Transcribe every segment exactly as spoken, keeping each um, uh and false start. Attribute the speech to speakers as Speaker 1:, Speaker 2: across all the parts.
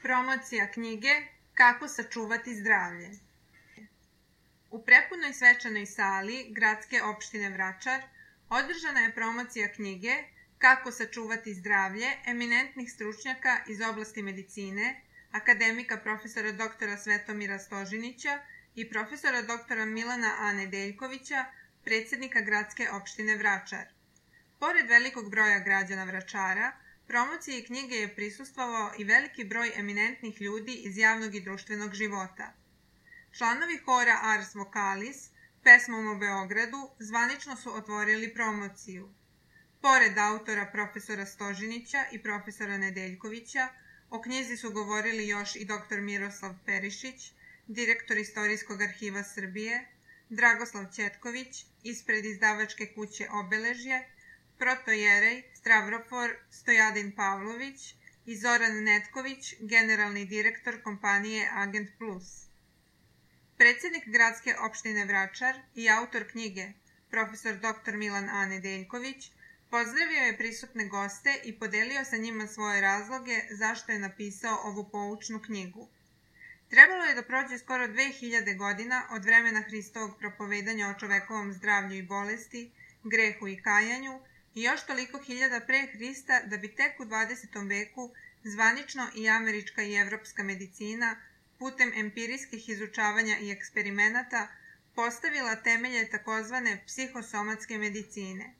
Speaker 1: Promocija knjige Kako sačuvati zdravlje. U prepunoj svečanoj sali Gradske opštine Vračar održana je promocija knjige Kako sačuvati zdravlje eminentnih stručnjaka iz oblasti medicine, akademika profesora doktora Svetomira Stožinića i profesora doktora Milana A. Nedeljkovića, predsjednika Gradske opštine Vračar. Pored velikog broja građana Vračara, promociji knjige je prisustvovao i veliki broj eminentnih ljudi iz javnog i društvenog života. Članovi hora Ars Vocalis, pesmom o Beogradu, zvanično su otvorili promociju. Pored autora profesora Stožinića i profesora Nedeljkovića, o knjizi su govorili još i doktor Miroslav Perišić, direktor Istorijskog arhiva Srbije, Dragoslav Ćetković, ispred izdavačke kuće Obeležje, protojerej Stavrofor Stojadin Pavlović i Zoran Netković, generalni direktor kompanije Agent Plus. Predsjednik Gradske opštine Vračar i autor knjige, profesor doktor Milan A. Nedeljković, pozdravio je prisutne goste i podelio sa njima svoje razloge zašto je napisao ovu poučnu knjigu. Trebalo je da prođe skoro dve hiljade godina od vremena Hristovog propovedanja o čovekovom zdravlju i bolesti, grehu i kajanju i još toliko hiljada pre Hrista da bi tek u dvadesetom veku zvanično i američka i evropska medicina putem empirijskih izučavanja i eksperimenata postavila temelje takozvane psihosomatske medicine.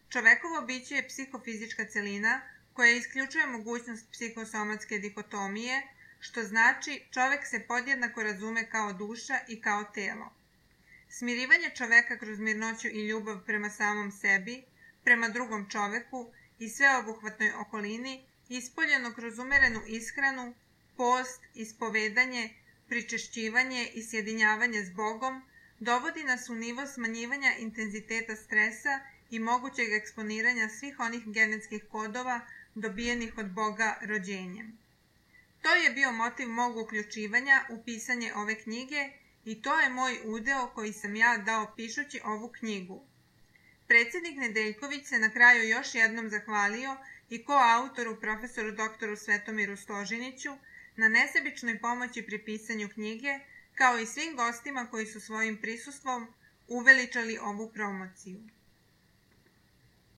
Speaker 1: Čovekovo biće je psihofizička celina koja isključuje mogućnost psihosomatske dikotomije, što znači čovek se podjednako razume kao duša i kao telo. Smirivanje čoveka kroz mirnoću i ljubav prema samom sebi, prema drugom čoveku i sveobuhvatnoj okolini, ispoljeno kroz umerenu ishranu, post, ispovedanje, pričešćivanje i sjedinjavanje s Bogom, dovodi nas u nivo smanjivanja intenziteta stresa i mogućeg eksponiranja svih onih genetskih kodova dobijenih od Boga rođenjem. To je bio motiv mog uključivanja u pisanje ove knjige i to je moj udeo koji sam ja dao pišući ovu knjigu. Predsjednik Nedeljković se na kraju još jednom zahvalio i koautoru profesoru doktoru Svetomiru Stožiniću na nesebičnoj pomoći pri pisanju knjige, kao i svim gostima koji su svojim prisustvom uveličali ovu promociju.